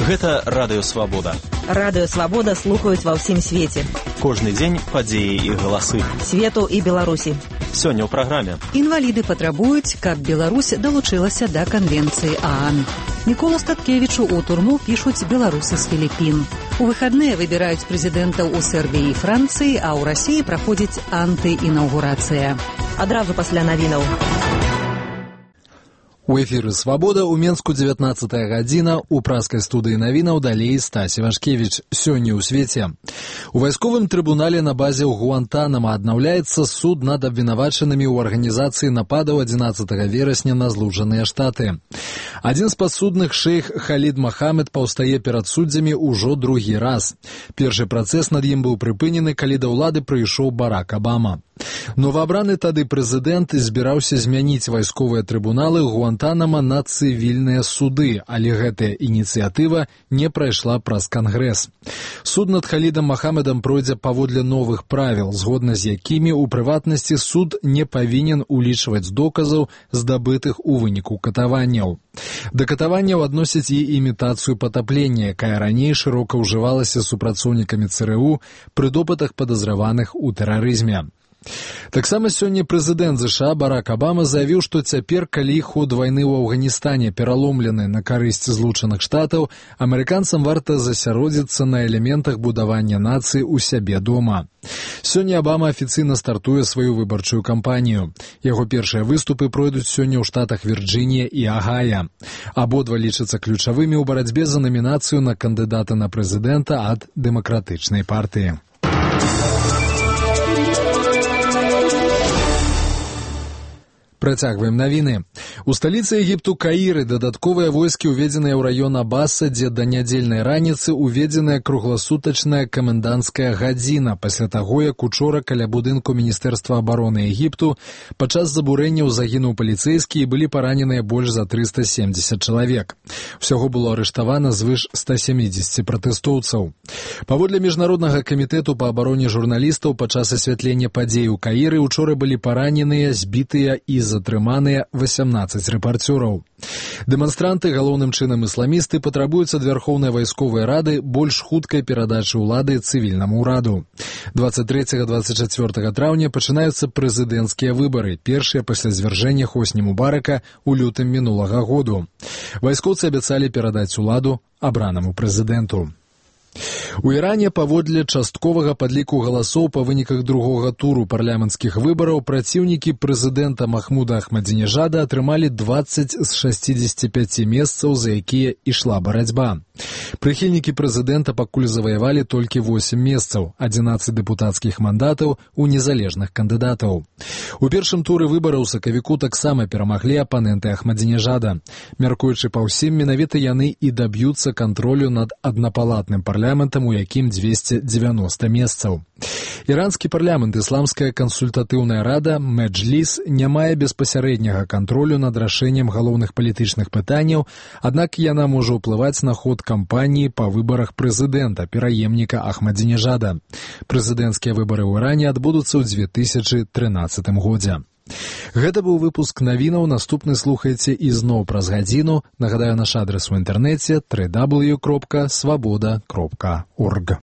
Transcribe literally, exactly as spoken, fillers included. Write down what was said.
Гэта Радыё Свабода. Радыё Свабода слухаюць ва ўсім свеце. Кожны дзень падзеі і галасы. Свету і Беларусі. Сёння ў праграме. Інваліды патрабуюць, каб Беларусь далучылася да канвенцыі ААН. Мікола Статкевічу ў турму пішуць беларусы з Філіппін. У выхадныя выбіраюць прэзідэнтаў у Сербіі і Францыі, а ў Расіі праходзіць антыінаўгурацыя. Адразу пасля навінаў. У эфіры «Свабода» у Менску дзевятнаццатая гадзіна, у праскай студыі навінаў далей Стась Івашкевіч. Сёння ў свеце. У вайсковым трыбунале на базе ў Гуантанамо аднаўляецца суд над абвінавачанымі ў арганізацыі нападаў адзінаццатага верасня на Злучаныя Штаты. Адзін з падсудных, шэйх Халід Махамед, паўстае перад суддзямі ўжо другі раз. Першы працэс над ім быў прыпынены, калі да ўлады прыйшоў Барак Абама. Новаабраны тады прэзідэнт збіраўся змяніць вайсковыя трыбуналы Гуантанамо на цывільныя суды, але гэтая ініцыятыва не прайшла праз Кангрэс. Суд над Халідам Махамедам пройдзе паводле новых правіл, згодна з якімі, у прыватнасці, суд не павінен улічваць доказаў, здабытых у выніку катаванняў. Да катаванняў адносяць і імітацыю патаплення, якая раней шырока ўжывалася супрацоўнікамі ЦРУ пры допытах падазраваных у тэрарызме. Таксама сёння прэзідэнт ЗША Барак Абама заявіў, што цяпер, калі ход вайны ў Афганістане пераломлены на карысць Злучаных Штатаў, амерыканцам варта засяродзіцца на элементах будавання нацыі ў сябе дома. Сёння Абама афіцыйна стартуе сваю выбарчую кампанію. Яго першыя выступы пройдуць сёння ў штатах Вірджынія і Агая. Абодва лічацца ключавымі ў барацьбе за намінацыю на кандыдата на прэзідэнта ад дэмакратычнай партыі. Працягваем навіны. У сталіцы Егіпту Каіры дадатковыя войскі ўведзеныя ў раён Абаса, дзе да нядзельнай раніцы ўведзеная кругласутачная каменданцкая гадзіна пасля таго, як учора каля будынку Міністэрства абароны Егіпту падчас забурэнняў загінуў паліцэйскі і былі параненыя больш за трыста семдзесят чалавек. Усяго было арыштавана звыш ста сямідзесяці пратэстоўцаў. Паводле Міжнароднага камітэту па абароне журналістаў, падчас асвятлення падзей у Каіры учора былі параненыя, збітыя і затрыманыя васямнаццаць рэпарцёраў. Дэманстранты, галоўным чынам ісламісты, патрабуюць ад Вярхоўнай вайсковай рады больш хуткай перадачы ўлады цывільнаму ўраду. дваццаць трэцяга - дваццаць чацвёртага траўня пачынаюцца прэзідэнцкія выбары, першыя пасля звяржэння Хосні Мубарака ў лютым мінулага году. Вайскоўцы абяцалі перадаць уладу абранаму прэзідэнту. У Іране паводле частковага падліку галасоў па выніках другога туру парламенцкіх выбараў праціўнікі прэзідэнта Махмуда Ахмадзінежада атрымалі дваццаць з шасцідзесяці пяці месцаў, за якія ішла барацьба. Прыхільнікі прэзідэнта пакуль заваявалі толькі восем месцаў, адзінаццаць дэпутацкіх мандатаў у незалежных кандыдатаў. У першым туры выбараў сакавіку таксама перамаглі апаненты Ахмадзінежада. Мяркуючы па ўсім, менавіта яны і даб'юцца кантролю над аднапалатным парламентам, у якім дзвесце дзевяноста месцаў. Іранскі парламент, ісламская кансультатыўная рада, Меджліс, не мае беспасярэдняга кантролю над рашэннем галоўных палітычных пытанняў, аднак яна можа ўплываць на ход кампаніі па выбарах прэзідэнта, пераемніка Ахмадзінежада. Прэзідэнцкія выбары ў Іране адбудуцца ў дзве тысячы трынаццатым годзе. Гэта быў выпуск навінаў, наступны слухайце ізноў праз гадзіну. Нагадаю, наш адрес у інтэрнэце дабл ю дабл ю дабл ю кропка свабода кропка орг.